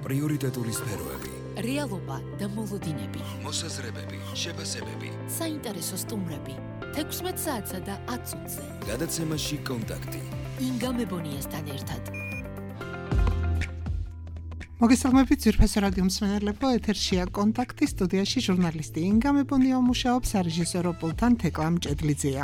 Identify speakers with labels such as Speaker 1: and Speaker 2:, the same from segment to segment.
Speaker 1: პრიორიტეტული სფეროები,
Speaker 2: რეალობა და მოლოდინები,
Speaker 1: მოსაზრებები, შეფასებები,
Speaker 2: საინტერესო სტუმრები, 16 საათსა და 10 წუთზე.
Speaker 1: გადაცემაში კონტაქტი.
Speaker 2: ინგა მებონიასთან ერთად.
Speaker 3: მოგესალმებით ძვირფასო რადიო მსმენელებო, ეთერშია კონტაქტი, სტუდიაში ჟურნალისტი ინგა მებონია მუშაობს, სარეჟისორო პულტთან თეკლა მჭედლიძეა.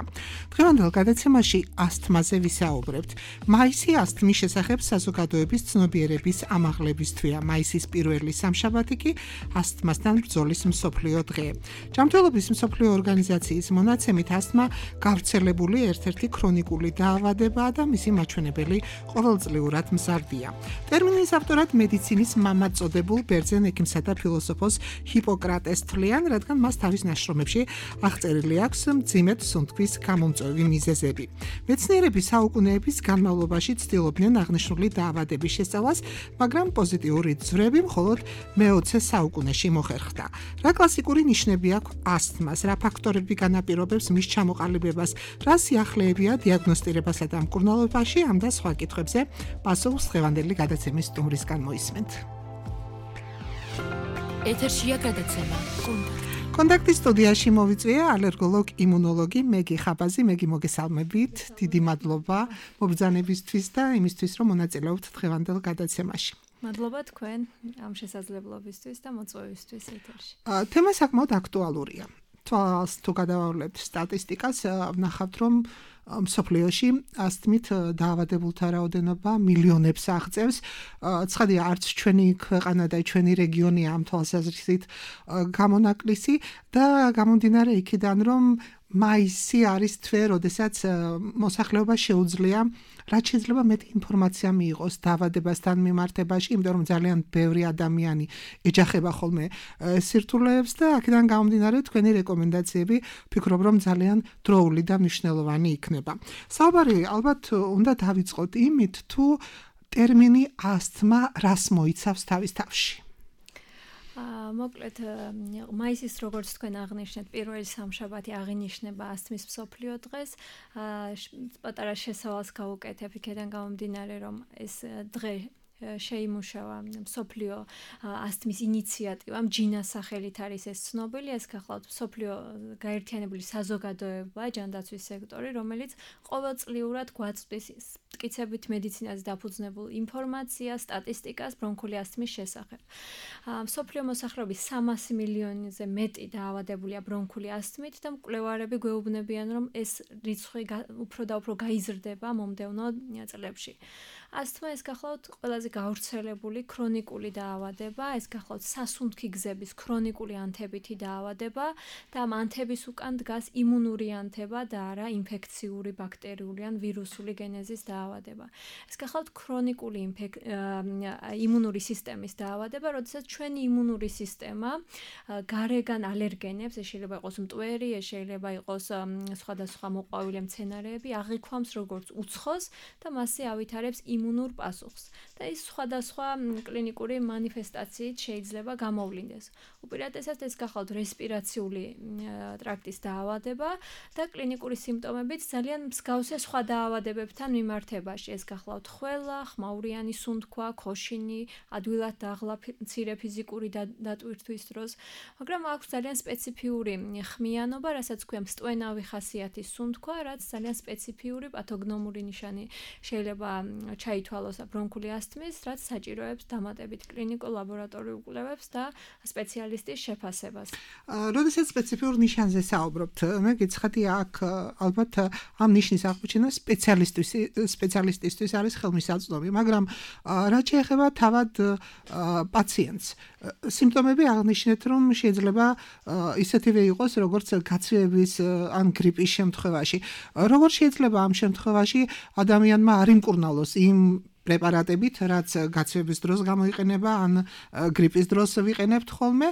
Speaker 3: დღევანდელ გადაცემაში ასთმაზე ვისაუბრებთ. მაისი ასთმის შესახებ საზოგადოების ცნობიერების ამაღლების თვეა. მაისის პირველი სამშაბათი კი ასთმასთან ბრძოლის მსოფლიო დღე. ჯანმრთელობის მსოფლიო ორგანიზაციის მონაცემით ასთმა გავრცელებული ერთ-ერთი ქრონიკული დაავადებაა და მისი მაჩვენებელი ყოველწლიურად მზარდია. ტერმინის ავტორად მედიცინის მამად წოდებულ ბერძენ ექიმსა და ფილოსოფოს ჰიპოკრატეს თვლიან, რადგან მას თავის ნაშრომებში აღწერილი აქვს მძიმედ სუნთქვის გამომწვევი მიზეზები. მეცნიერები საუკუნეების განმავლობაში ცდილობდნენ აღნიშნული დაავადების შესწავლას, მაგრამ პოზიტიური ძვრები მხოლოდ მე-20 საუკუნეში მოხერხდა. რა კლასიკური ნიშნები აქვს ასთმას, რა ფაქტორები განაპირობებს მის ჩამოყალიბებას, რა სიახლეებია დიაგნოსტირებასა და მკურნალობაში, ამ და სხვა კითხვებზე პასუხს დღევანდელი გადაცემის სტუმრისგან მოისმენთ.
Speaker 2: ეთერშია გადაცემა
Speaker 3: კონტაქტის სტუდიაში მოვიწვია ალერგოლოგ იმუნოლოგი მეგი ხაბაზი. მეგი, მოგესალმებით, დიდი მადლობა მობრძანებისთვის და იმისთვის, რომ მონაწილეობთ დღევანდელ გადაცემაში.
Speaker 4: მადლობა თქვენ ამ შესაძლებლობისთვის და მოწვევისთვის ეთერში.
Speaker 3: თემა საკმაოდ აქტუალურია. თვალს თუ გადავავლებთ სტატისტიკას, ვნახავთ, რომ მსოფლიოში ასთმით დაავადებულთა რაოდენობა მილიონებს აღწევს. ცხადია, არც ჩვენი ქვეყანა და ჩვენი რეგიონია ამ თვალსაზრისით გამონაკლისი და გამომდინარე იქიდან, რომ მაისი არის თვე, როდესაც მოსახლეობა შეუძლია რაც შეიძლება მეტი ინფორმაცია მიიღოს დაავადებასთან მიმართებაში, იმიტომ რომ ძალიან ბევრი ადამიანი ეჯახება ხოლმე სირთულეებს და აქედან გამომდინარე თქვენი რეკომენდაციები ვფიქრობ, რომ ძალიან დროული და მნიშვნელოვანი იქნება. საუბარი ალბათ უნდა დავიწყოთ იმით, თუ ტერმინი ასთმა რას მოიცავს თავის თავში.
Speaker 4: მოკლედ მაისის როგორც თქვენ აღნიშნეთ, პირველი სამშაბათი აღინიშნება ასთმის მსოფლიო დღეს. პატარა შესავალს გავუკეთებ იქიდან გამომდინარე, რომ ეს დღე შეიმუშავა მსოფლიო ასთმის ინიციატივამ, ჯინას სახელით არის ეს ცნობილი. ეს გახლავთ მსოფლიო გაერთიანებული საზოგადოება, ჯანდაცვის სექტორი, რომელიც ყოველწლიურად გვაწვდის მტკიცებით მედიცინაზე დაფუძნებულ ინფორმაციას, სტატისტიკას ბრონქული ასთმის შესახებ. მსოფლიო მოსახლეობის 300 მილიონზე მეტი დაავადებულია ბრონქული ასთმით და მკვლევარები გვეუბნებიან, რომ ეს რიცხვი უფრო და უფრო გაიზრდება მომდევნო წლებში. ასთმა ეს გახლავთ ყველაზე გავრცელებული ქრონიკული დაავადება, ეს გახლავთ სასუნთქი გზების ქრონიკული ანთებითი დაავადება და ამ ანთების უკან დგას იმუნური ანთება და არა ინფექციური ბაქტერიული ან ვირუსული გენეზის დაავადება. ეს გახლავთ ქრონიკული იმუნური სისტემის დაავადება, როდესაც ჩვენი იმუნური სისტემა გარეგან ალერგენებს, ეს შეიძლება იყოს მტვერი, ეს შეიძლება იყოს სხვადასხვა მოყვავილი მცენარეები, აღიქვამს როგორც უცხოს და მასზე ავითარებს იმუნურ პასუხს. და ის სხვადასხვა კლინიკური მანიფესტაციით შეიძლება გამოვლინდეს. უპირატესად ეს გახლავთ რესპირაციული ტრაქტის დაავადება და კლინიკური სიმპტომებით ძალიან მსგავსია სხვა დაავადებებთან მიმართებაში. ეს გახლავთ ხველა, ხმაურიანი სუნთქვა, ქოშინი, ადვილად დაღლა მცირე ფიზიკური დატვირთვის დროს, მაგრამ აქვს ძალიან სპეციფიური ხმიანობა, რასაც ქვია მსტვენავი ხასიათის სუნთქვა, რაც ძალიან სპეციფიური პათოგნომური ნიშანი შეიძლება ჩაითვალოს ბრონქული ასთმის, რაც საჭიროებს დამატებით კლინიკურ ლაბორატორიულ კვლევებს და სპეციალისტის შეფასებას.
Speaker 3: როდესაც სპეციფიურ ნიშანზე საუბრობთ, მე გეცხადია აქ ალბათ ამ ნიშნის აღმოჩენა სპეციალისტისთვის არის ხელმისაწვდომი, მაგრამ რაც შეეხება თავად პაციენტს, სიმპტომები აღნიშნეთ, რომ შეიძლება ისეთივე იყოს, როგორც გაცივების ან გრიპის შემთხვევაში. როგორ შეიძლება ამ შემთხვევაში ადამიანმა არ იმკურნალოს იმ პრეპარატებით, რაც გაცივების დროს გამოიყენება, ან გრიპის დროს ვიყენებთ ხოლმე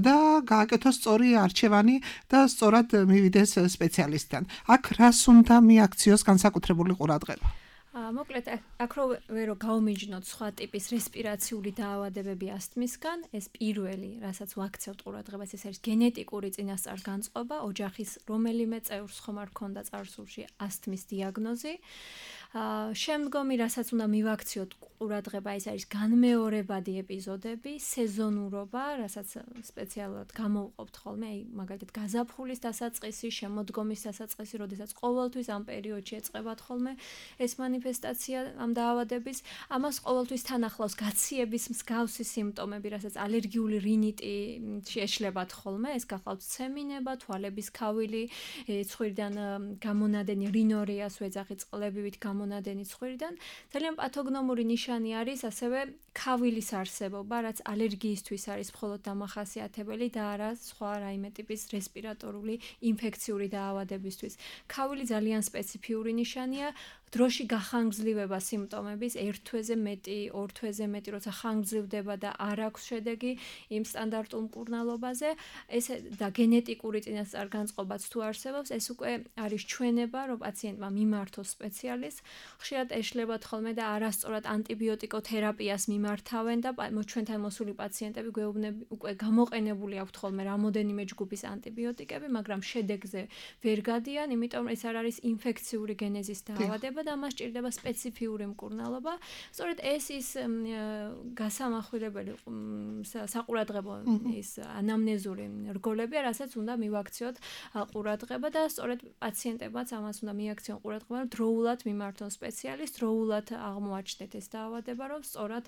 Speaker 3: და გააკეთოს სწორი არჩევანი და სწორად მივიდეს სპეციალისტთან. აქ რას უნდა მიაქციოს განსაკუთრებული ყურადღება?
Speaker 4: მოკლედ აქ რო გაუმიჯნოთ სხვა ტიპის რესპირაციული დაავადებები ასთმისგან, ეს პირველი, რასაც ვაქცევთ ყურადღებას, ეს არის გენეტიკური წინასწარ-განწყობა, ოჯახის რომელიმე წევრს ხომ არ ქონდა წარსულში ასთმის დიაგნოზი. შემდგომი რასაც უნდა მივაქციოთ ყურადღება ის არის განმეორებადი ეპიზოდები, სეზონურობა, რასაც სპეციალურად გამოვყოფთ ხოლმე, აი მაგალითად გაზაფხულის დასაწყისი, შემოდგომის დასაწყისი, როდესაც ყოველთვის ამ პერიოდში ეწყებათ ხოლმე ეს მანიფესტაცია ამ დაავადების, ამას ყოველთვის თან ახლავს გაციების მსგავსი სიმპტომები, რასაც ალერგიული რინიტი შეეშლებათ ხოლმე, ეს გახლავთ ცემინება, თვალების ქავილი, ცხვირიდან გამონადენი რინორიას ვეძახი წყლებივით გამონადენი ცხვირიდან. ძალიან პათოგნომური ნიშანი არის ასევე ქავილის არსებობა, რაც ალერგიისთვის არის მხოლოდ დამახასიათებელი და არა სხვა რაიმე ტიპის რესპირატორული ინფექციური დაავადებისთვის. ქავილი ძალიან სპეციფიური ნიშანია, დროში გახანგრძლივება სიმპტომების, ერთ თვეზე მეტი, ორ თვეზე მეტი, როცა ხანგრძლივდება და არ აქვს შედეგი იმ სტანდარტულ მკურნალობაზე, ეს და გენეტიკური წინასწარ-განწყობაც თუ არსებობს, ეს უკვე არის ჩვენება, რომ პაციენტმა მიმართოს სპეციალისტს, ხშირად ეშლებათ ხოლმე და არასწორად ანტიბიოტიკოთერაპიას მიმართავენ და ჩვენთან მოსული პაციენტები გვეუბნები უკვე გამოყენებული აქვთ ხოლმე რამოდენიმე ჯგუფის ანტიბიოტიკები, მაგრამ შედეგზე ვერ გადიან, იმიტომ რომ ეს არ არის ინფექციური გენეზის დაავადება და მას ჭირდება სპეციფიური მკურნალობა. სწორედ ეს ის გასამახვილებელი საყურადღებო ის ანამნეზური რგოლებია, რასაც უნდა მივაქციოთ ყურადღება და სწორედ პაციენტებმაც ამას უნდა მიაქციონ ყურადღება, რომ დროულად მიმართონ სპეციალისტს, დროულად აღმოაჩნდეთ ეს დაავადება, რომ სწორად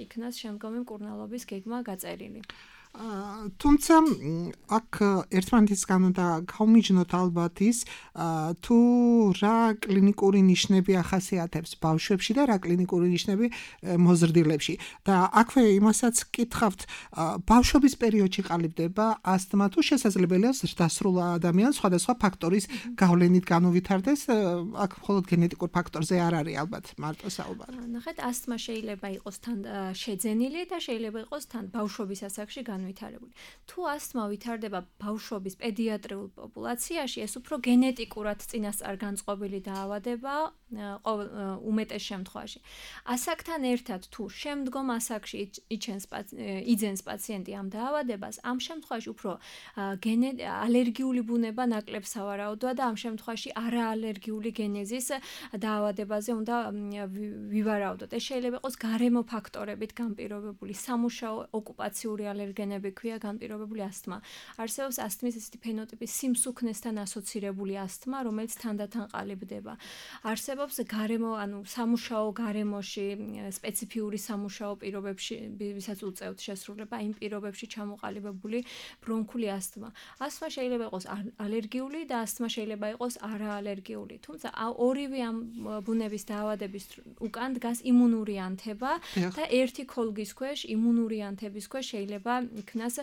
Speaker 4: იქნას შემდგომი მკურნალობის გეგმა გაწერილი.
Speaker 3: თუმცა აქ ერთმანეთისგან უნდა გავმიჯნოთ ალბათ ის თუ რა კლინიკური ნიშნები ახასიათებს ბავშვებში და რა კლინიკური ნიშნები მოზრდილებში და აქვე იმასაც კითხავთ ბავშვობის პერიოდში ყალიბდება ასთმა თუ შესაძლებელია ზრდასრულ ადამიანს სხვადასხვა ფაქტორის გავლენით განუვითარდეს აქ მხოლოდ გენეტიკურ ფაქტორზე არ არის ალბათ მარტო საუბარი.
Speaker 4: ნახეთ, ასთმა შეიძლება იყოს თან შეძენილი და შეიძლება იყოს თან ბავშვობის ასაკში ვითარებული. თუ ასთმა ვითარდება ბავშვობის პედიატრიულ პოპულაციაში, ეს უფრო გენეტიკურად წინასწარ-განწყობილი დაავადება უმეტეს შემთხვევაში. ასაკთან ერთად თუ შემდგომ ასაკში იძენს პაციენტი ამ დაავადებას, ამ შემთხვევაში უფრო ალერგიული ბუნება ნაკლებ სავარაუდოა და ამ შემთხვევაში არაალერგიული გენეზის დაავადებაზე უნდა ვივარაუდოთ. ეს შეიძლება იყოს გარემო ფაქტორებით განპირობებული, სამუშაო ოკუპაციური ალერგენები ქვია განპირობებული ასთმა. არსებობს ასთმის ესეთი ფენოტიპი სიმსუქნესთან ასოცირებული ასთმა, რომელიც თანდათან ყალიბდება. არსებობს გარემო, ანუ სამუშაო გარემოში, სპეციფიური სამუშაო პირობებში, ვისაც უწევთ შესრულება, იმ პირობებში ჩამოყალიბებული ბრონქული ასთმა. ასთმა შეიძლება იყოს ალერგიული და ასთმა შეიძლება იყოს არაალერგიული. თუმცა ორივე ამ ბუნების დაავადების უკან დგას იმუნური ანთება და ერთი ქოლგის ქვეშ იმუნური ანთების ქვეშ შეიძლება იქნას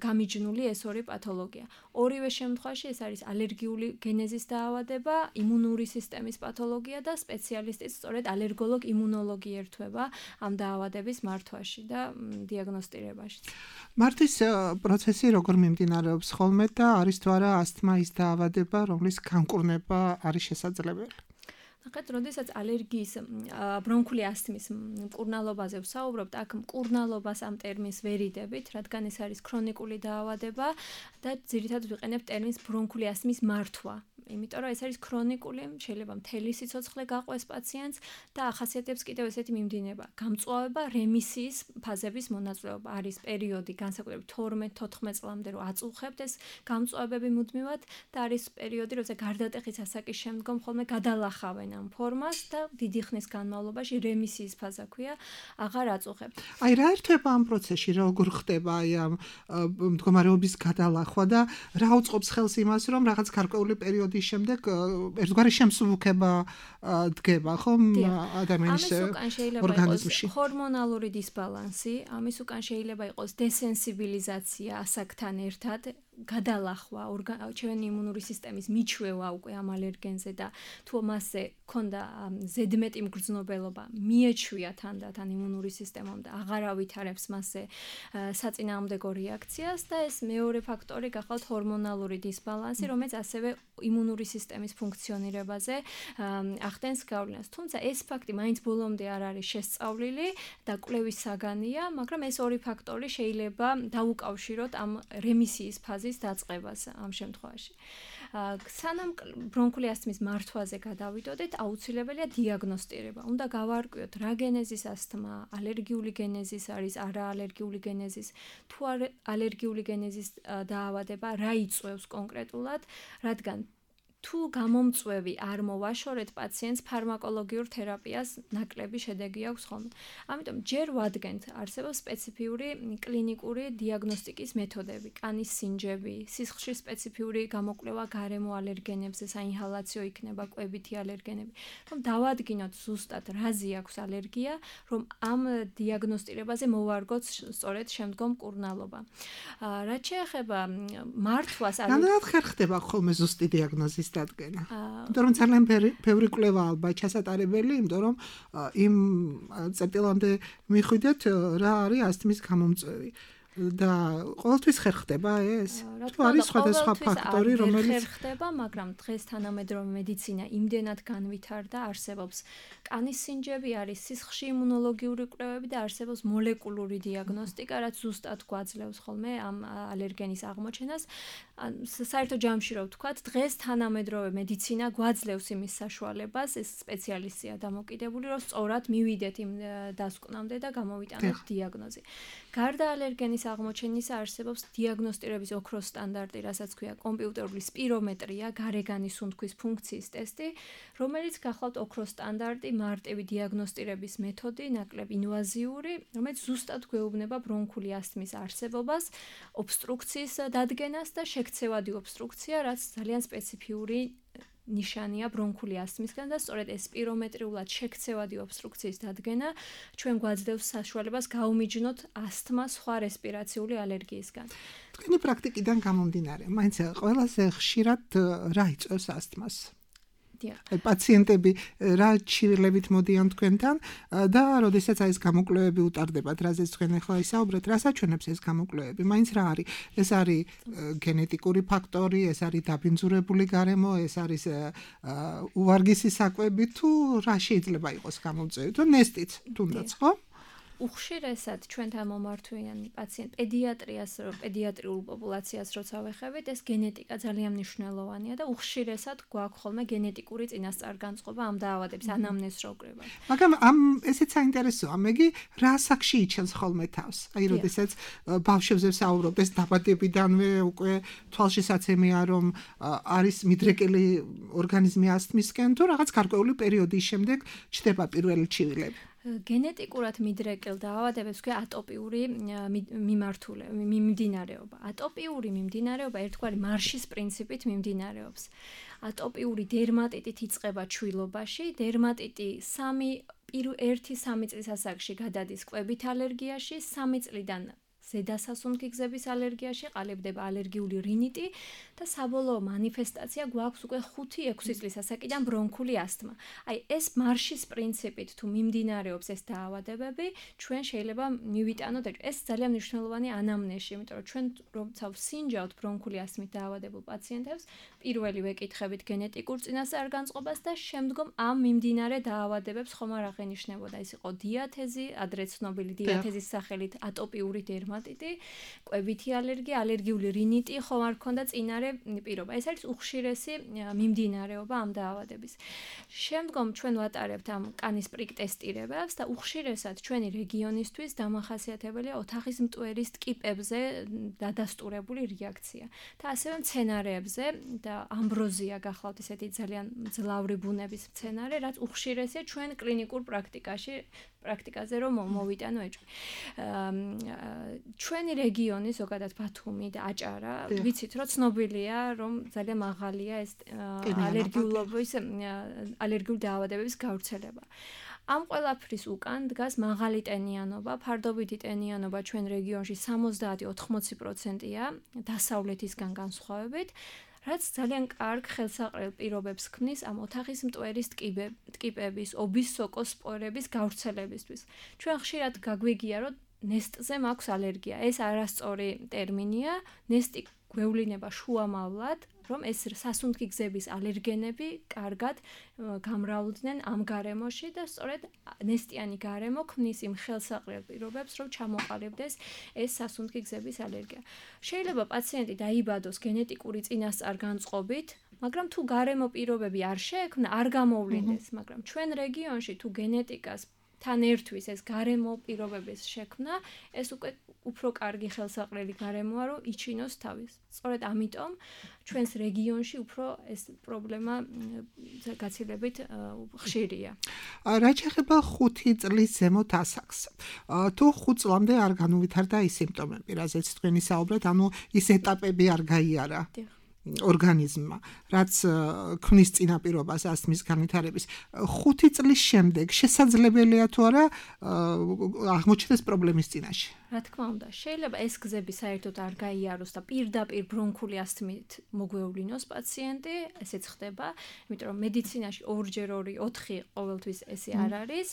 Speaker 4: გამიჯნული ეს ორი პათოლოგია. ორივე შემთხვევაში ეს არის ალერგიული გენეზის დაავადება, იმუნური სისტემის პათოლოგია და სპეციალისტიც სწორედ ალერგოლოგ იმუნოლოგი ერთვება ამ დაავადების მართვაში და დიაგნოსტირებაში.
Speaker 3: მართვის პროცესი როგორ მიმდინარეობს ხოლმე და არის თუ არა ასთმა ის დაავადება, რომლის განკურნება არის შესაძლებელი?
Speaker 4: ნახეთ, როდესაც ალერგიის ბრონქული ასთმის მკურნალობაზე ვსაუბრობთ, აქ მკურნალობას ამ ტერმინს ვერიდებით, რადგან ეს არის ქრონიკული დაავადება და ძირითადად ვიყენებთ ტერმინს ბრონქული ასთმის მართვა. იმიტომ რომ ეს არის ქრონიკული, შეიძლება მთელი სიცოცხლე გაყვეს პაციენტს და ახასიათებს კიდევ ესეთი მიმდინება. გამწვავება რემისიის ფაზების მონაწილეობა არის პერიოდი განსაკუთრებით 12-14 წლამდე რომ აწუხებთ ეს გამწვავებები მუდმივად და არის პერიოდი, როცა გარდატეხის ასაკის შემდგომ ხოლმე გადალახავენ ამ ფორმას და დიდი ხნის განმავლობაში რემისიის ფაზა ქვია, აღარ აწუხებთ.
Speaker 3: აი რა ერთვება ამ პროცესში, როგორ ხდება აი ამ მდგომარეობის გადალახვა და რა უწყობს ხელს იმას, რომ რაღაც გარკვეული პერიოდი შემდეგ ერთგვარი შემსუბუქება დგება ხომ ადამიანის ორგანიზმში.
Speaker 4: ჰორმონალური დისბალანსი, ამის უკან შეიძლება იყოს დესენსიბილიზაცია ასაკთან ერთად, გადალახვა, ჩვენი იმუნური სისტემის მიჩვევა უკვე ამ ალერგენზე და თუ მასზე ქონდა ზედმეტი მგრძნობელობა, მიეჩვია თანდათან იმუნური სისტემამ და აღარ ავითარებს მასზე საწინააღმდეგო რეაქციას და ეს მეორე ფაქტორი გახლავთ ჰორმონალური დისბალანსი, რომელიც ასევე იმუნური სისტემის ფუნქციონირებაზე ახდენს გავლენას. თუმცა ეს ფაქტი მაინც ბოლომდე არ არის შესწავლილი და კვლევის საგანია, მაგრამ ეს ორი ფაქტორი შეიძლება დაუკავშიროთ ამ რემისიის ფაზის გენეზის დაწყებას ამ შემთხვევაში. სანამ ბრონქული ასთმის მართვაზე გადავიდოდეთ, აუცილებელია დიაგნოსტირება. უნდა გავარკვიოთ რა გენეზის ასთმა, ალერგიული გენეზის არის, არაალერგიული გენეზის, თუ ალერგიული გენეზის დაავადება, რა იწვევს კონკრეტულად, რადგან თუ გამომწვევი არ მოვაშორეთ პაციენტს ფარმაკოლოგიურ თერაპიას ნაკლები შედეგი აქვს ხოლმე. ამიტომ ჯერ ვადგენთ არსებობს სპეციფიური კლინიკური დიაგნოსტიკის მეთოდები, კანის სინჯები, სისხლში სპეციფიური გამოკვლევა გარემო ალერგენებზე, საინჰალაციო იქნება კვებითი ალერგენები. რომ დავადგინოთ ზუსტად რაზე აქვს ალერგია, რომ ამ დიაგნოსტირებაზე მოვარგოთ სწორედ შემდგომ მკურნალობა. რაც შეეხება მართვას,
Speaker 3: რადგან ხერხდება ხოლმე ზუსტი დიაგნოზის დადგენა. იმიტომ რომ ძალიან ბევრი კვლევა ალბათ ჩასატარებელი, იმიტომ რომ იმ წერტილამდე მიხვიდეთ რა არის ასთმის გამომწვევი. და ყოველთვის ხერხდება ეს? თუ არის სხვადასხვა ფაქტორი, რომელიც
Speaker 4: ხერხდება, მაგრამ დღეს თანამედროვე მედიცინა იმდენად განვითარდა, არსებობს კანის სინჯები, არის სისხლში იმუნოლოგიური კვლევები და არსებობს მოლეკულური დიაგნოსტიკა, რაც ზუსტად გვაძლევს ხოლმე ამ ალერგენის აღმოჩენას. საერთო ჯამში რო ვთქვათ, დღეს თანამედროვე მედიცინა გვაძლევს იმის საშუალებას, ეს სპეციალისტია დამოკიდებული, რომ სწორად მივიდეთ იმ დასკვნამდე და გამოვიტანოთ დიაგნოზი. გარდა ალერგენის აღმოჩენისა არსებობს დიაგნოსტირების ოქროს სტანდარტი, რასაც ქვია კომპიუტერული სპირომეტრია, გარეგანის სუნთქვის ფუნქციის ტესტი, რომელიც გახლავთ ოქროს სტანდარტი, მარტივი დიაგნოსტირების მეთოდი, ნაკლებ ინვაზიური, რომელიც ზუსტად გვეუბნება ბრონქული ასთმის არსებობას, ობსტრუქციის დადგენას და შექცევადი ობსტრუქცია, რაც ძალიან სპეციფიური ნიშანია ბრონქული ასთმისგან და სწორედ ეს სპირომეტრიულად შექცევადი ობსტრუქციის დადგენა ჩვენ გვაძლევს საშუალებას გაუმიჯნოთ ასთმა სხვა რესპირაციული ალერგიისგან.
Speaker 3: თქვენი პრაქტიკიდან გამომდინარე, მაინც ყველაზე ხშირად რა იწვევს ასთმას? პაციენტები რა ჩივილებით მოდიან თქვენთან და როდესაც ეს გამოკვლევები უტარდებათ, რაზეც თქვენ ახლა ისაუბრეთ, რას აჩვენებს ეს გამოკვლევები? მაინც რა არის? ეს არის გენეტიკური ფაქტორი, ეს არის დაბინძურებული გარემო, ეს არის უვარგისი საკვები თუ რა შეიძლება იყოს გამომწვევი? თუ ნესტიც თუნდაც, ხო?
Speaker 4: უხშირესად ჩვენთან მომართვიან პაციენტ პედიატრიულ პოპულაციას როცა ვეხებით, ეს გენეტიკა ძალიან მნიშვნელოვანია და უხშირესად გვაქვს ხოლმე გენეტიკური წინასწარ-განწყობა ამ დაავადების ანამნეზს რო ვკრიბავთ.
Speaker 3: მაგრამ ესეც საინტერესოა, მეგი რა ასაკში იჩენს ხოლმე თავს? აი, როდესაც ბავშვებზე ვსაუბრობ, ეს დაბადებიდანვე უკვე თვალშისაცემია, რომ არის მიდრეკილი ორგანიზმი ასთმისკენ თუ რაღაც გარკვეული პერიოდის შემდეგ ჩდება პირველი ჩივილები.
Speaker 4: გენეტიკურად მიდრეკილ დაავადებებს ქვია ატოპიური მიმდინარეობა. ატოპიური მიმდინარეობა ერთგვარი მარშის პრინციპით მიმდინარეობს. ატოპიური დერმატიტით იწყება ჩვილობაში, დერმატიტი 1-3 წლის ასაკში გადადის კვებით ალერგიაში, 3 წლიდან ზედასასუნთქი გზების ალერგიაში ყალიბდება ალერგიული რინიტი და საბოლოო მანიფესტაცია გვაქვს უკვე 5-6 წლის ასაკიდან ბრონქული ასთმა. აი ეს მარშის პრინციპით თუ მიმდინარეობს ეს დაავადებები, ჩვენ შეიძლება მივიტანოთ ეს ძალიან მნიშვნელოვანი ანამნეზი, იმიტომ რომ ჩვენ როცა ვსინჯავთ ბრონქული ასთმით დაავადებულ პაციენტებს, პირველი ვეკითხებით გენეტიკურ წინასწარ-განწყობას და შემდგომ ამ მიმდინარე დაავადებებს ხომ არ აღენიშნებოდა. ეს იყო დიათეზი, ადრე ცნობილი დიათეზის სახელით ატოპიური დერმატიტი, კვებითი ალერგია, ალერგიული რინიტი ხომ არ ქონდა წინარე პირობა. ეს არის უხშირესი მიმდინარეობა ამ დაავადების. შემდგომ ჩვენ ვატარებთ ამ კანის პრიკ ტესტირებას და უხშირესად ჩვენი რეგიონისთვის დამახასიათებელია ოთახის მტვერის ტკიპებზე დადასტურებული რეაქცია და ასევე მცენარეებზე და ამბროზია გახლავთ ესეთი ძალიან მძლავრი ბუნების მცენარე, რაც უხშირესია ჩვენ კლინიკურ პრაქტიკაზე რომ მოვიტანო ეჭვი. ჩვენი რეგიონი ზოგადად ბათუმი და აჭარა, ვიცით რომ ცნობილია რომ ძალიან მაღალია ეს ალერგიული დაავადებების გავრცელება. ამ ყველაფრის უკან დგას მაღალი ტენიანობა, ფარდობითი ტენიანობა ჩვენ რეგიონში 70-80%-ია დასავლეთისგან განსხვავებით. რაც ძალიან კარგ ხელსაყრელ პირობებს ქმნის ამ ოთახის მტვერის ტკიპების, ობის სოკოს სპორების გავრცელებისთვის. ჩვენ ხშირად გაგვიგია, რომ ნესტზე მაქვს ალერგია. ეს არასწორი ტერმინია. ნესტი გვევლინება შუამავლად, რომ ეს სასუნთქი გზების ალერგენები კარგად გამრავლდნენ ამ გარემოში და სწორედ ნესტიანი გარემო ქმნის იმ ხელსაყრელ პირობებს, რომ ჩამოყალიბდეს ეს სასუნთქი გზების ალერგია. შეიძლება პაციენტი დაიბადოს გენეტიკური წინასწარ-განწყობით, მაგრამ თუ გარემო პირობები არ შეექმნა, არ გამოვლინდეს, მაგრამ ჩვენ რეგიონში თუ გენეტიკას თან ერთვის ეს გარემო პირობების შექმნა, ეს უკვე უფრო კარგი ხელსაყრელი გარემოა, რომ იჩინოს თავის. სწორედ ამიტომ ჩვენს რეგიონში უფრო ეს პრობლემა გაცილებით ხშირია.
Speaker 3: რაც ეხება 5 წლის ზემოთ ასაკს. თუ 5 წლამდე არ განუვითარდა ის სიმპტომები, რაზეც თქვენ ისაუბრეთ, ანუ ის ეტაპები არ გაიარა. ორგანიზმმა, რაც ქმნის წინაპირობას ასთმის განვითარების 5 წლის შემდეგ შესაძლებელია თუ არა აღმოჩნდეს პრობლემის წინაშე.
Speaker 4: რა თქმა უნდა, შეიძლება ეს გზები საერთოდ არ გაიაროს და პირდაპირ ბრონქული ასთმით მოგვევლინოს პაციენტი, ესეც ხდება, იმიტომ რომ მედიცინაში 2-4 ყოველთვის ესე არ არის.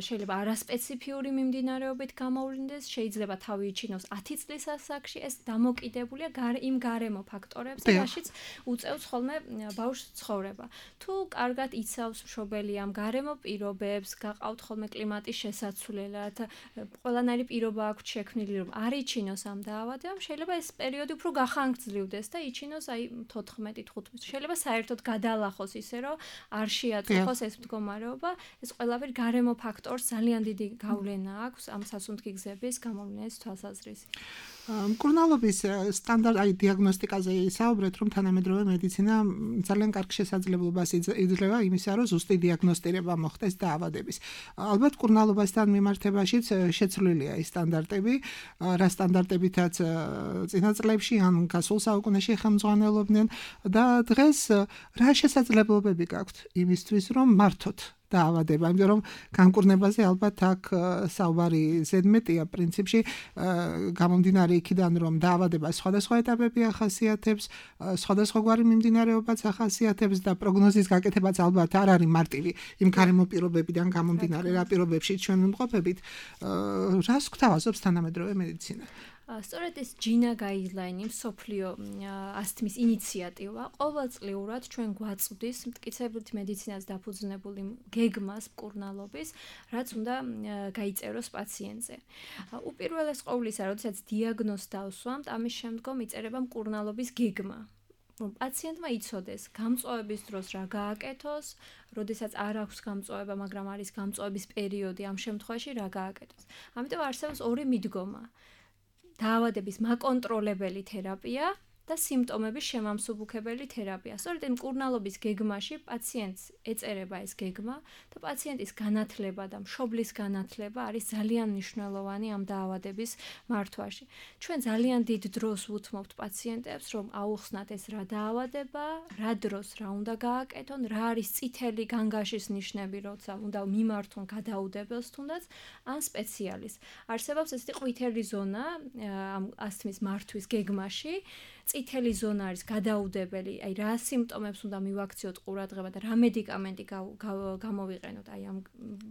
Speaker 4: შეიძლება არასპეციფიური მიმდინარეობით გამოვლინდეს, შეიძლება თავი იჩინოს 10 წლის ასაკში, ეს დამოკიდებულია იმ გარემო ფაქტორებზე, რაშიც უწევს ხოლმე ბავშვს ცხოვრება. თუ კარგად იცავს მშობელი ამ გარემო პირობებს, გაყავთ ხოლმე კლიმატის შესაცვლელად, ყველანაირი პირობა აქვს შექმნილი, რომ არ იჩინოს ამ დაავადებამ, შეიძლება ეს პერიოდი უფრო გახანგრძლივდეს და იჩინოს აი 14-15. შეიძლება საერთოდ გადალახოს ისე, რომ არ შეაწუხოს ეს მდგომარეობა, ეს ყველაფერი გარემო ფაქტორს ძალიან დიდი გავლენა აქვს ამ სასუნთქი გზების გამოვლენის თვალსაზრისით.
Speaker 3: მკურნალობის სტანდარტ აი დიაგნოსტიკაზე ისაუბრეთ, რომ თანამედროვე მედიცინა ძალიან კარგ შესაძლებლობას იძლევა იმისა, რომ ზუსტი დიაგნოსტირება მოხდეს დაავადების. ალბათ მკურნალობასთან მიმართებაშიც შეცვლილია ის სტანდარტები, რა სტანდარტებითაც წინა წლებში ან გასულ საუკუნეში ხელმძღვანელობდნენ და დღეს რა შესაძლებლობები გაქვთ იმისთვის, რომ მართოთ დაავადება, იმიტომ რომ განკურნებაზე ალბათ აქ საუბარი ზედმეტია პრინციპში გამომდინარე იქიდან, რომ დაავადება სხვადასხვა ეტაპები ახასიათებს, სხვადასხვაგვარი მიმდინარეობაც ახასიათებს და პროგნოზის გაკეთებაც ალბათ არ არის მარტივი იმ გარემო პირობებიდან გამომდინარე, რა პირობებში ჩვენ ვიმყოფებით. რას გვთავაზობს თანამედროვე მედიცინა?
Speaker 4: სწორედ ეს ჯინა გაიდლაინი, მსოფლიო ასთმის ინიციატივა, ყოველწლიურად ჩვენ გვაწვდის მტკიცებითი მედიცინას დაფუძნებული გეგმას მკურნალობის, რაც უნდა გაიწეროს პაციენტზე. უპირველეს ყოვლისა, როდესაც დიაგნოზს დავსვამთ, ამის შემდგომ იწერება მკურნალობის გეგმა. რომ პაციენტმა იცოდეს გამწვავების დროს რა გააკეთოს, როდესაც არ აქვს გამწვავება, მაგრამ არის გამწვავების პერიოდი, ამ შემთხვევაში რა გააკეთოს. ამიტომ არსებობს ორი მიდგომა. დაავადების მაკონტროლებელი თერაპია და სიმპტომების შემამსუბუქებელი თერაპია. სწორედ მკურნალობის გეგმაში პაციენტს ეწერება ეს გეგმა და პაციენტის განათლება და მშობლის განათლება არის ძალიან მნიშვნელოვანი ამ დაავადების მართვაში. ჩვენ ძალიან დიდ დროს ვუთმობთ პაციენტებს, რომ აუხსნათ ეს რა დაავადება, რა დროს რა უნდა გააკეთონ, რა არის წითელი განგაშის ნიშნები, როცა უნდა მიმართონ გადაუდებელს თუნდაც ან სპეციალისტს. არსებობს ესეთი ყვითელი ზონა ამ ასთმის მართვის გეგმაში. წითელი ზონა არის გადაუდებელი, აი რა სიმპტომებს უნდა მივაქციოთ ყურადღება და რა მედიკამენტი გამოვიყენოთ, აი ამ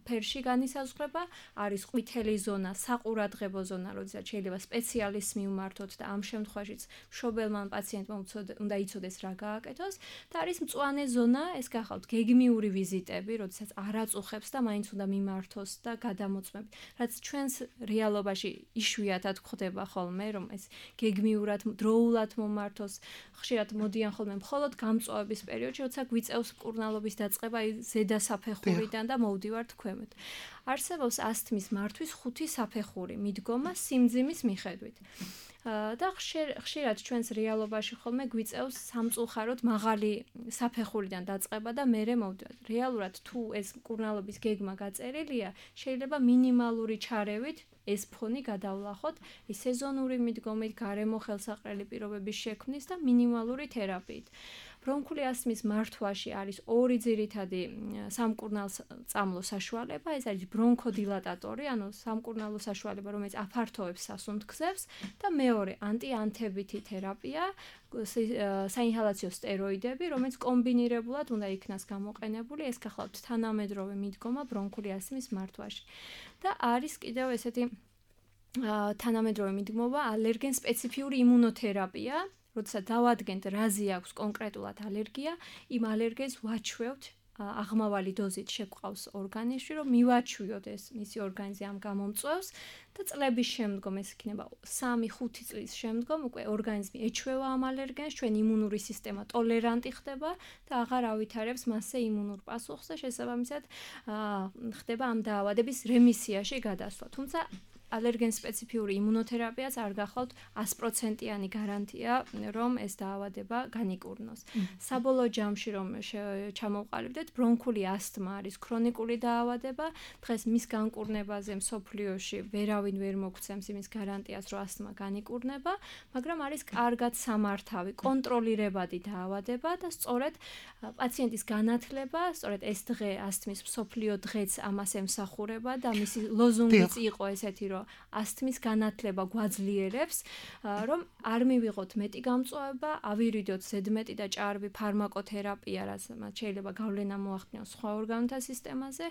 Speaker 4: ფერში განისაზღვრება, არის ყვითელი ზონა, საყურადღებო ზონა, როდესაც შეიძლება სპეციალისტს მივმართოთ და ამ შემთხვევაშიც მშობელმა პაციენტმა უნდა იცოდეს რა გააკეთოს და არის მწვანე ზონა, ეს გახავთ გეგმიური ვიზიტები, როდესაც არ აწუხებს და მაინც უნდა მიმართოს და გადამოწმებით. რაც ჩვენს რეალობაში იშვიათად გვხდება ხოლმე, რომ ეს გეგმიურად დროულად მომართოს, ხშირად მოდიან ხოლმე მხოლოდ გამწვავების პერიოდში, როცა გვიწევს მკურნალობის დაწყება ზედა საფეხურიდან და მოვდივართ ქვემოთ. არსებობს ასთმის მართვის 5 საფეხური მიდგომა სიმძიმის მიხედვით. და ხშირად ჩვენს რეალობაში ხოლმე გვიწევს სამწუხაროდ მაღალი საფეხურიდან დაწყება და მერე მოვდივართ. რეალურად თუ ეს მკურნალობის გეგმა გაწერილია, შეიძლება მინიმალური ჩარევით ეს ფონი გადავლახოთ ის სეზონური მიდგომით, გარემო ხელსაყრელი პირობების შექმნის და მინიმალური თერაპიით. ბრონქული ასთმის მართვაში არის ორი ძირითადი სამკურნალო საშუალება, ეს არის ბრონქოდილატატორი, ანუ სამკურნალო საშუალება, რომელიც აფართოვებს სასუნთქზებს და მეორე ანტიანთებითი თერაპია, საინჰალაციო სტეროიდები, რომელიც კომბინირებულად უნდა იქნას გამოყენებული, ეს გახლავთ თანამედროვე მიდგომა ბრონქული ასთმის მართვაში. და არის კიდევ ესეთი თანამედროვე მიდგმობა ალერგენ სპეციფიური იმუნოთერაპია, როდესაც დავადგენთ რაზე აქვს კონკრეტულად ალერგია, იმ ალერგენს ვაჩვევთ აღმავალი დოზით შეგვყავს ორგანიზმში, რომ მივაჩვიოთ ეს მისი ორგანიზმი ამ გამომწვევს და წლების შემდგომ ეს იქნება 3-5 წლის შემდგომ უკვე ორგანიზმი ეჩვევა ამ ალერგენს, ჩვენ იმუნური სისტემა ტოლერანტი ხდება და აღარ ავითარებს მასზე იმუნურ პასუხს და შესაბამისად ხდება ამ დაავადების რემისიაში გადასვლა. თუმცა ალერგენ სპეციფიური იმუნოთერაპიაც არ გახლავთ 100%-იანი გარანტია, რომ ეს დაავადება განიკურნოს. საბოლოო ჯამში რომ ჩამოვყალიბდეთ, ბრონქული ასთმა არის ქრონიკული დაავადება. დღეს მის განკურნებაზე მსოფლიოში ვერავინ ვერ მოგცემს იმის გარანტიას, რომ ასთმა განიკურნება, მაგრამ არის კარგად სამართავი, კონტროლირებადი დაავადება და სწორედ პაციენტის განათლება, სწორედ ეს დღე ასთმის მსოფლიო დღეც ამას ემსახურება და მისი ლოზუნგიც იყო ესეთი, რომ ასთმის განათლება გვაძლიერებს, რომ არ მივიღოთ მეტი გამწვავება, ავირიდოთ ზედმეტი და ჭარბი ფარმაკოთერაპია, რაც შეიძლება გავლენა მოახდინოს სხვა ორგანოთა სისტემაზე.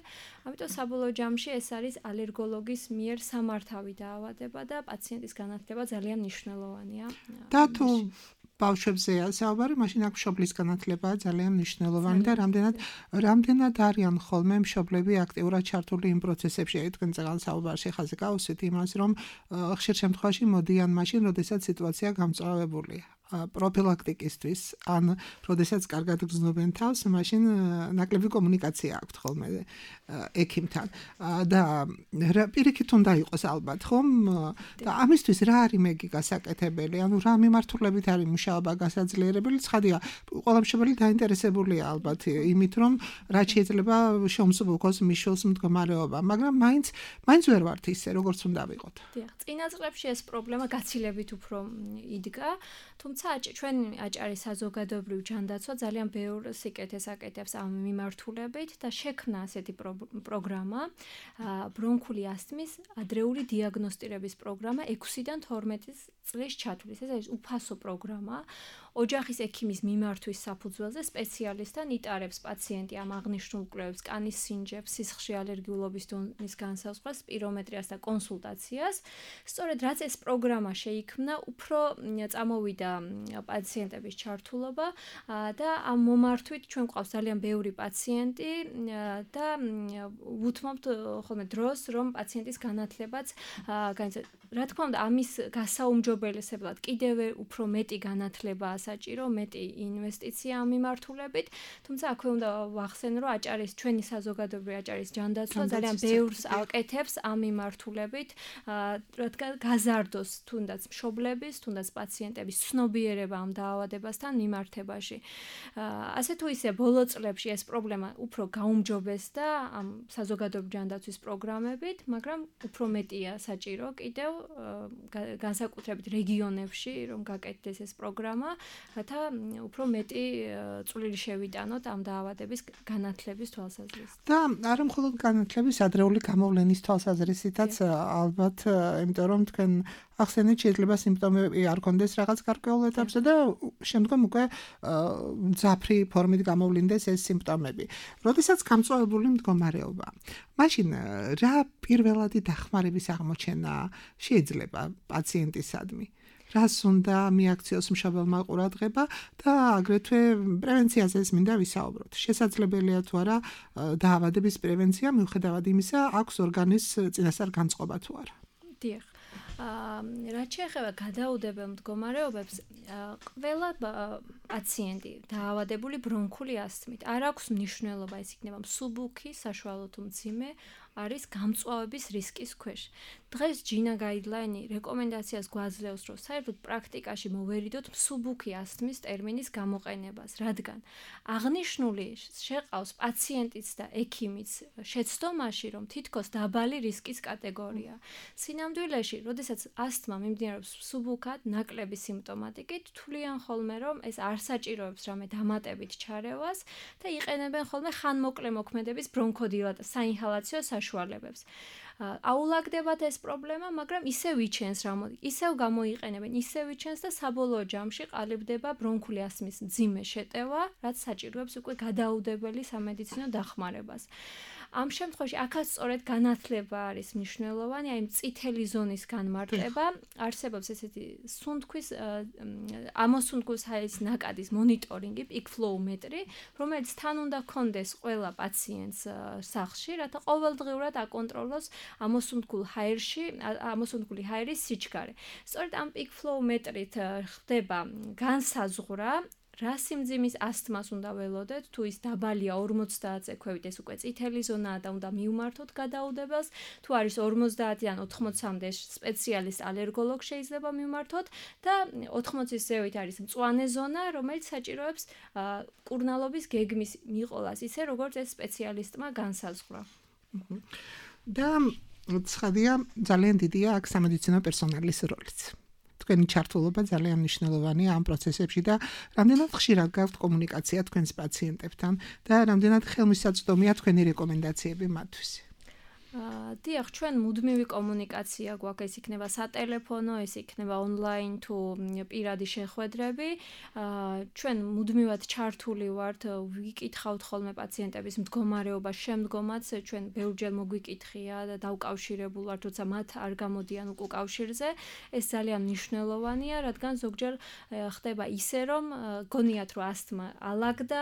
Speaker 4: ამიტომ საბოლოო ჯამში ეს არის ალერგოლოგის მიერ სამართავი დაავადება და პაციენტის განათლება ძალიან მნიშვნელოვანია.
Speaker 3: და თუ ბავშვებზეა საუბარი, მაშინ აქ მშობლის განათლებაა ძალიან მნიშვნელოვანი და რამდენად არიან ხოლმე მშობლები აქტიურად ჩართული იმ პროცესებში, თქვენ წეგან საუბარში ხაზე გავუსვით იმას, რომ ხშირ შემთხვევაში მოდიან მაშინ, როდესაც სიტუაცია გამწვავებულია. პროფილაქტიკისთვის, ან როდესაც კარგად გრძნობენ თავს, მაშინ ნაკლები კომუნიკაცია აქვთ ხოლმე ექიმთან. და პირიქით უნდა იყოს ალბათ, ხომ? და ამისთვის რა არის მეგი გასაკეთებელი? ანუ რა მიმართულებით არის მუშაობა გასაძლიერებელი? ცხადია, ყველა მშობელი დაინტერესებულია ალბათ იმით, რომ რაც შეიძლება შემსუბუქოს მიშველს მდგომარეობა, მაგრამ მაინც ვერ ვართ ისე, როგორც უნდა ვიყოთ.
Speaker 4: დიახ, წინა წლებში ეს პრობლემა გაცილებით უფრო იდგა, თუმცა ჩვენ აჭარის საზოგადოებრივ ჯანდაცვა ძალიან ბევრ სიკეთეს აკეთებს ამ მიმართულებით და შექმნა ასეთი პროგრამა, ბრონქული ასთმის ადრეული დიაგნოსტირების პროგრამა 6-დან 12 წლის ჩათვლის. ეს არის უფასო პროგრამა. ოჯახის ექიმის მიმართვის საფუძველზე სპეციალისტთან იტარებს პაციენტი ამ აღნიშნულ კვლევებს, კანის სინჯებს, სისხლში ალერგიულობის დონის განსაზღვრას, სპირომეტრიას და კონსულტაციას. სწორედ რაც ეს პროგრამა შეიქმნა, უფრო წამოვიდა პაციენტების ჩართულობა და ამ მომართვით ჩვენ გვყავს ძალიან ბევრი პაციენტი და ვუთმობთ ხოლმე დროს, რომ პაციენტის განათლებაც განიცადა. რა თქმა უნდა, ამის გასაუმჯობესებლად კიდევ უფრო მეტი განათლებაა საჭირო, მეტი ინვესტიცია ამ მიმართულებით, თუმცა აქვე უნდა ვახსენო, რომ აჭარის ჩვენი საზოგადოებრივი აჭარის ჯანდაცვა ძალიან ბევრს აკეთებს ამ მიმართულებით, რადგან გაზარდოს თუნდაც მშობლების, თუნდაც პაციენტების ცნობიერება ამ დაავადებასთან მიმართებაში. ასე თუ ისე ბოლო წლებში ეს პრობლემა უფრო გაუმჯობესდა ამ საზოგადოებრივი ჯანდაცვის პროგრამებით, მაგრამ უფრო მეტია საჭირო კიდევ განსაკუთრებით რეგიონებში, რომ გაკეთდეს ეს პროგრამა, რათა უფრო მეტი წვლილი შევიტანოთ ამ დაავადების განათლების თვალსაზრისით.
Speaker 3: და არა მხოლოდ განათლების, ადრეული გამოვლენის თვალსაზრისითაც ალბათ, იმიტომ რომ თქვენ ახსენეთ, შეიძლება სიმპტომები არ კონდეს რაღაც გარკვეულ ეტაპზე და შემდგომ უკვე მძაფრი ფორმით გამოვლინდეს ეს სიმპტომები. როდესაც გამწვავებული მდგომარეობა, მაშინ რა პირველადი დახმარების აღმოჩენა შეიძლება პაციენტისადმი? რას უნდა მიაქციოს მშობელმა ყურადღება და აგრეთვე პრევენციაზე მინდა ვისაუბროთ. შესაძლებელია თუ არა დაავადების პრევენცია მიუხედავად იმისა, აქვს ორგანიზმის წინასწარ განწყობა თუ არა?
Speaker 4: დიახ. რაც შეეხება გადაუდებელ მდგომარეობებს, ყველა პაციენტი დაავადებული ბრონქული ასთმით არ აქვს მნიშვნელობა, ეს იქნება მსუბუქი, საშუალო თუ მძიმე, არის გამწვავების რისკის ქვეშ. დღეს ჯინა გაიდლაინი რეკომენდაციას გვაძლევს, რომ საერთოდ პრაქტიკაში მოვერიდოთ მსუბუქი ასთმის ტერმინის გამოყენებას, რადგან აღნიშნული შეყავს პაციენტიც და ექიმიც შეცდომაში, რომ თითქოს დაბალი რისკის კატეგორია. სინამდვილეში, როდესაც ასთმა მიმდინარეობს მსუბუქად, ნაკლები სიმპტომატიკით, თვლიან ხოლმე, რომ ეს არ საჭიროებს რამე დამატებით ჩარევას და იყენებენ ხოლმე ხანმოკლე მოქმედების ბრონქოდილატას, საინჰალაციო საშუალებებს. აულაგდებათ ეს პრობლემა, მაგრამ ისევ იჩენს ისევ გამოიყენებენ, ისევ იჩენს და საბოლოო ჯამში ყალიბდება ბრონქული ასთმის მძიმე შეტევა, რაც საჭიროებს უკვე გადაუდებელი სამედიცინო დახმარებას. ამ შემთხვევაში აქაც სწორედ განათლება არის მნიშვნელოვანი, აი წითელი ზონის განმარტება, არსებობს ესეთი სუნთქვის ამოსუნთქვის ჰაერის ნაკადის მონიტორინგი, peak flow მეტრი, რომელიც თან უნდა კონდეს ყველა პაციენტს სახლში, რათა ყოველდღიურად აკონტროლოს ამოსუნთქული ჰაერის სიჩქარე. სწორედ ამ peak flow მეტრით ხდება განსაზღვრა რა სიმძიმის ასთმას უნდა ველოდეთ, თუ ის დაბალია 50-ზე ქვევით, ეს უკვე წითელი ზონაა და უნდა მივმართოთ გადაუდებელს, თუ არის 50-დან 80-მდე სპეციალისტ ალერგოლოგ შეიძლება მივმართოთ და 80-ის ზევით არის მწვანე ზონა, რომელიც საჭიროებს კურნალობის გეგმის მიყოლას, ისე როგორც ეს სპეციალისტმა განსაზღვრა.
Speaker 3: და ცხადია, ძალიან დიდია აქ სამედიცინო პერსონალის როლიც. თქვენი ჩართულობა ძალიან მნიშვნელოვანია ამ პროცესებში და რამდენად ხშირად გაქვთ კომუნიკაცია თქვენს პაციენტებთან და რამდენად ხელმისაწვდომია თქვენი რეკომენდაციები მათთვის.
Speaker 4: დიახ, ჩვენ მუდმივი კომუნიკაცია გვაქვს, ეს იქნება სატელეფონო, ეს იქნება ონლაინ თუ პირადი შეხვედრები. ჩვენ მუდმივად ჩართული ვართ, ვიკითხავთ ხოლმე პაციენტების მდგომარეობა შემდგომაც, ჩვენ ბევრჯერ მოგვიკითხია და დავკავშირებულ ვართ, როცა მათ არ გამოდიან უკავშირზე. ეს ძალიან მნიშვნელოვანია, რადგან ზოგჯერ ხდება ისე, რომ გონიათ, რომ ასთმა ალაგდა,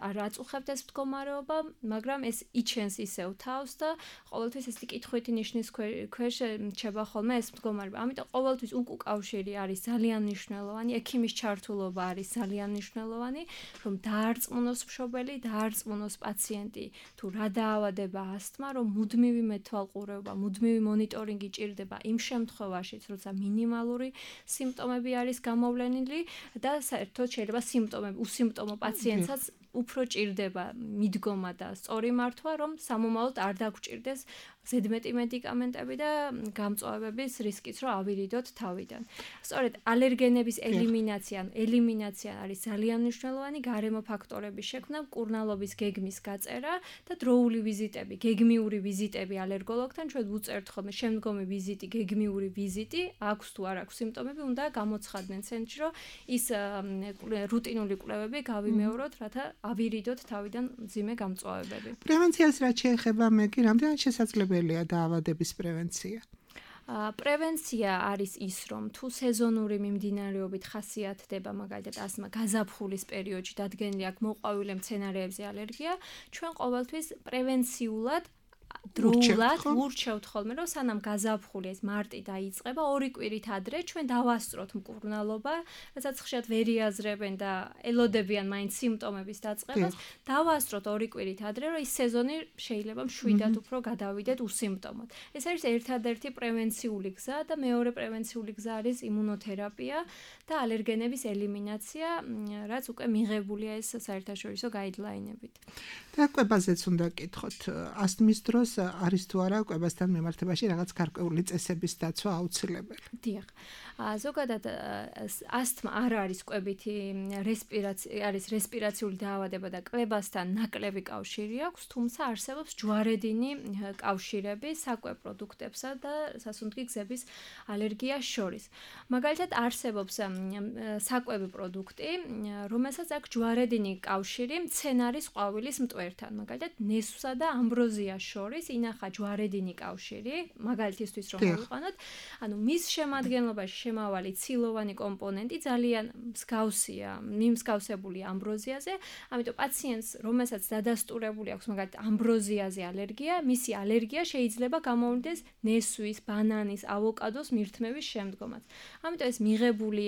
Speaker 4: არ აწუხებთ ეს მდგომარეობა, მაგრამ ეს იჩენს ისევ თავს და ყოველთვის ეს კითხვითი ნიშნის ქვეშ რჩება ხოლმე ეს მდგომარეობა. ამიტომ ყოველთვის უკავშირი არის ძალიან მნიშვნელოვანი, ექიმის ჩართულობა არის ძალიან მნიშვნელოვანი, რომ დაარწმუნოს მშობელი, დაარწმუნოს პაციენტი, თუ რა დაავადება ასთმა, რომ მუდმივი მეთვალყურეობა, მუდმივი მონიტორინგი ჭირდება იმ შემთხვევაშიც, როცა მინიმალური სიმპტომები არის გამოვლენილი და საერთოდ შეიძლება სიმპტომები, უსიმპტომო პაციენტსაც უფრო ჭირდება მიდგომა და სწორი მართვა, რომ სამომავლოდ არ დაგჭირდეს ზედმეტი მედიკამენტები და გამწვავების რისკიც რომ ავირიდოთ თავიდან. სწორედ ალერგენების ელიმინაცია არის ძალიან მნიშვნელოვანი, გარემო ფაქტორების შექმნა, კურნალობის გეგმის გაწერა და დროული ვიზიტები, გეგმიური ვიზიტები ალერგოლოგთან, ჩვენ ვუწერთ ხოლმე შემდგომი ვიზიტი, გეგმიური ვიზიტი, აქვს თუ არ აქვს სიმპტომები, უნდა გამოცხადდნენ ცენტრში, რომ ის რუტინული კვლევები გავიმეოროთ, რათა ავირიდოთ თავიდან მძიმე გამწვავებები.
Speaker 3: პრევენციას რაც შეეხება, მეგი, რამდენად შესაძლებელია დაავადების პრევენცია?
Speaker 4: პრევენცია არის ის, რომ თუ სეზონური მიმდინარეობით ხასიათდება, მაგალითად ასთმა გაზაფხულის პერიოდში დადგენილი აქვს მოყვავილე მცენარეებზე ალერგია, ჩვენ ყოველთვის პრევენციულად დროულად ვურჩევთ ხოლმე, რომ სანამ გაზაფხული ეს მარტი დაიწყება, 2 კვირით ადრე ჩვენ დავასწროთ მკურნალობა, რასაც ხშირად ვერ იაზრებენ და ელოდებიან მაინც სიმპტომების დაწყებას, დავასწროთ 2 კვირით ადრე, რომ ის სეზონი შეიძლება მშვიდად უფრო გადავიდეთ უსიმპტომოდ. ეს არის ერთადერთი პრევენციული გზა და მეორე პრევენციული გზა არის იმუნოთერაპია და ალერგენების ელიმინაცია, რაც უკვე მიღებულია ეს საერთაშორისო გაიდლაინებით.
Speaker 3: და კვებაზეც უნდა კითხოთ, ასთმის დროს არის თუ არა კვებასთან მიმართებაში რაღაც გარკვეული წესების დაცვა აუცილებელი?
Speaker 4: დიახ. ზოგადად ასთმა არ არის კვებითი არის რესპირაციული დაავადება და კვებასთან ნაკლები კავშირი აქვს, თუმცა არსებობს ჯვარედინი კავშირები საკვებ პროდუქტებსა და სასუნთქი გზების ალერგიას შორის. მაგალითად არსებობს საკვები პროდუქტი, რომელსაც აქვს ჯვარედინი კავშირი მცენარის ყვავილის მტვერთან, მაგალითად ნესვსა და ამბროზიას შორის ინახა ჯვარედინი კავშირი, მაგალითისთვის რომ მოვიყვანოთ, ანუ მის შემადგენლობაში შემავალი ცილოვანი კომპონენტი ძალიან მსგავსია, მიმსგავსებულია ამბროზიაზე, ამიტომ პაციენტს, რომელსაც დადასტურებული აქვს მაგალითად ამბროზიაზე ალერგია, მისი ალერგია შეიძლება გამოვლინდეს ნესვის, ბანანის, ავოკადოს მირთმევის შემდგომაც. ამიტომ ეს მიღებული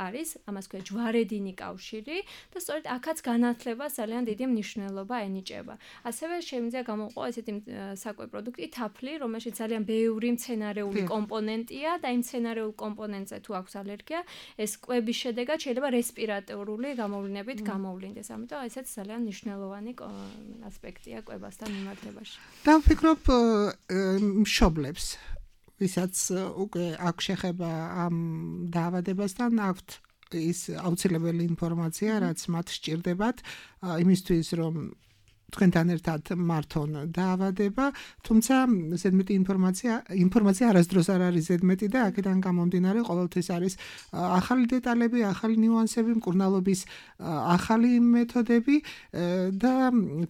Speaker 4: არის, ამას ქვია ჯვარედინი კავშირი და სწორედ აქაც განათლებას ძალიან დიდი მნიშვნელობა ენიჭება. ასევე შემიძლია გამოყო ესეთი საკვებ პროდუქტი თაფლი, რომელშიც ძალიან ბევრი მცენარეული კომპონენტია და იმ მცენარეულ კომპონენტზე თუ აქვს ალერგია, ეს კვების შედეგად შეიძლება რესპირატორული გამოვლინებით გამოვლინდეს. ამიტომ ესეც ძალიან მნიშვნელოვანი ასპექტია კვებასთან მიმართებაში.
Speaker 3: და ვფიქრობ, მშობლებს, ვისაც უკვე აქვს შეხება ამ დაავადებასთან, აქვთ ის აუცილებელი ინფორმაცია, რაც მათ სჭირდებათ იმისთვის, რომ თქვენთან ერთად მართონ დაავადება, თუმცა ზედმეტი ინფორმაცია არასდროს არ არის ზედმეტი და აქედან გამომდინარე ყოველთვის არის ახალი დეტალები, ახალი ნიუანსები, მკურნალობის ახალი მეთოდები და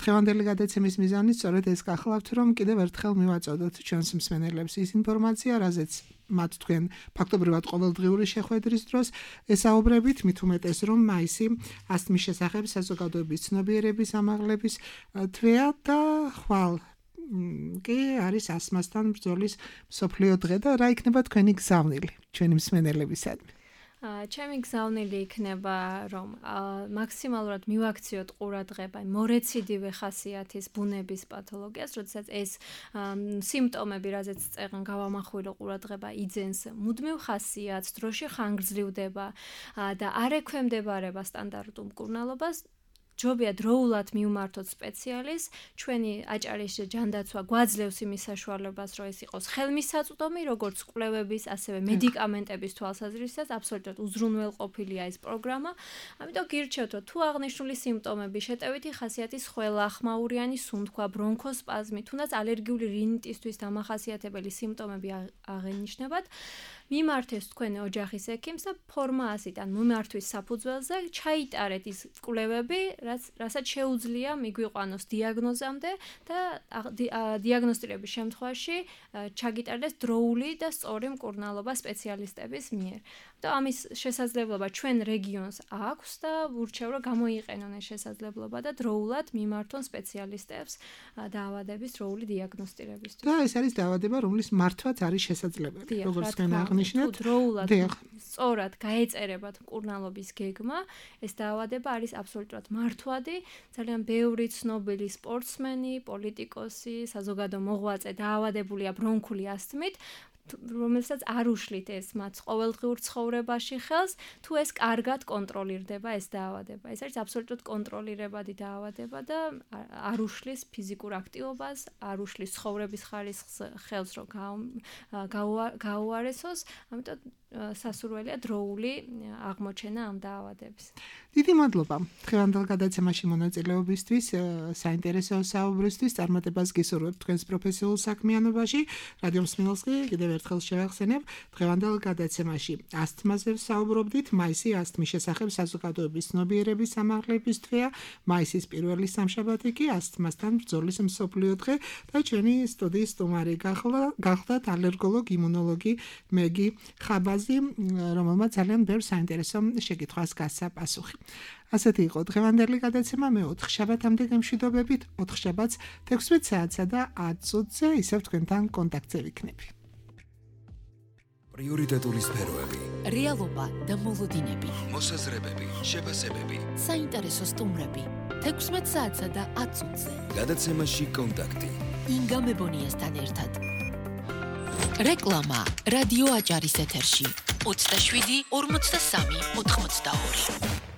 Speaker 3: დღევანდელი გადაცემის მიზანი სწორედ ეს გახლავთ, რომ კიდევ ერთხელ მივაწოდოთ ჩვენს მსმენელებს ის ინფორმაცია, რაზეც მათ თქვენ ფაქტობრივად ყოველდღიური შეხვედრის დროს ესაუბრებით, მით უმეტეს რომ მაისი ასთმის შესახებ საზოგადოების ცნობიერების ამაღლების თვეა და ხვალ კი არის ასთმასთან ბრძოლის მსოფლიო დღე და რა იქნება თქვენი გზავნილი ჩვენი მსმენელებისადმი?
Speaker 4: ჩემი გზავნილი იქნება, რომ მაქსიმალურად მივაქციოთ ყურადღება მორეციდივე ხასიათის ბუნების პათოლოგიას, როდესაც ეს სიმპტომები, რაზეც წეგან გავამახვილო ყურადღება, იძენს მუდმივ ხასიათს, დროში ხანგრძლივდება და არ ექვემდებარება სტანდარტულ მკურნალობას, ჯობია დროულად მივმართოთ სპეციალისტს, ჩვენი აჭარის ჯანდაცვა გვაძლევს იმის საშუალებას, რომ ეს იყოს ხელმისაწვდომი, როგორც კვლევების, ასევე მედიკამენტების თვალსაზრისით, აბსოლუტურად უზრუნველყოფილია ეს პროგრამა. ამიტომ გირჩევთ, რომ თუ აღნიშნული სიმპტომები, შეტევითი ხასიათის ხველა, ხმაურიანი სუნთქვა, ბრონქოსპაზმი, თუნდაც ალერგიული რინიტისთვის დამახასიათებელი სიმპტომები აღენიშნებათ, მიმართეს თქვენი ოჯახის ექიმს და ფორმა 100-დან მიმართვის საფუძველზე ჩაიტარეთ ის კვლევები, რასაც შეუძლია მიგვიყვანოს დიაგნოზამდე და დიაგნოსტირების შემთხვევაში ჩაგიტარდეს დროული და სწორი მკურნალობა სპეციალისტების მიერ. და ამის შესაძლებლობა ჩვენ რეგიონს აქვს და ვურჩევ, რომ გამოიყენონ ეს შესაძლებლობა და დროულად მიმართონ სპეციალისტებს დაავადების დროული დიაგნოსტირებისთვის.
Speaker 3: და ეს არის დაავადება, რომლის მართვაც არის შესაძლებელი. როგორც თქვენ აღნიშნეთ,
Speaker 4: დროულად სწორად გაეწერებათ მკურნალობის გეგმა, ეს დაავადება არის აბსოლუტურად მართვადი, ძალიან ბევრი ცნობილი სპორტსმენი, პოლიტიკოსი, საზოგადო მოღვაწე დაავადებულია ბრონქული ასთმით, რომელსაც არ უშლით ეს მათ ყოველდღიურ ცხოვრებაში ხელს, თუ ეს კარგად კონტროლირდება ეს დაავადება. ეს არის აბსოლუტურად კონტროლირებადი დაავადება და არ უშლის ფიზიკურ აქტივობას, არ უშლის ცხოვრების ხარისხს ხელს, რომ გაუარესოს, ამიტომ სასურველია დროული აღმოჩენა ამ დაავადების.
Speaker 3: დიდი მადლობა დღევანდელ გადაცემაში მონაწილეობისთვის, საინტერესო საუბრისთვის, წარმატებას გისურვებთ თქვენს პროფესიულ საქმიანობაში. რადიო მსმენელს კიდევ ერთხელ შევახსენებ, დღევანდელ გადაცემაში ასთმაზე ვსაუბრობდით, მაისი ასთმის შესახებ საზოგადოების ცნობიერების ამაღლების თვეა, მაისის პირველი სამშაბათი კი ასთმასთან ბრძოლის მსოფლიო დღე და ჩვენი სტუდიის სტუმარი გახლდათ ალერგოლოგ, იმუნოლოგი მეგი ხაბაზი, რომელმაც ძალიან ბევრ საინტერესო შეკითხვას გასცა პასუხი. ასეთი იყო დღევანდელი გადაცემა, მე 4 შაბათამდე გემშვიდობებით, 4 შაბათს 16 საათსა და 10 წუთზე ისევ თქვენთან კონტაქტზე ვიქნები.
Speaker 1: პრიორიტეტული სფეროები,
Speaker 2: რეალობა და მოლოდინები,
Speaker 1: მოსაზრებები, შეფასებები,
Speaker 2: საინტერესო სტუმრები, 16 საათსა და 10 წუთზე.
Speaker 1: გადაცემაში კონტაქტი.
Speaker 2: ინგა მებონიასთან ერთად. რეკლამა რადიო აჭარის ეთერში 27 43 82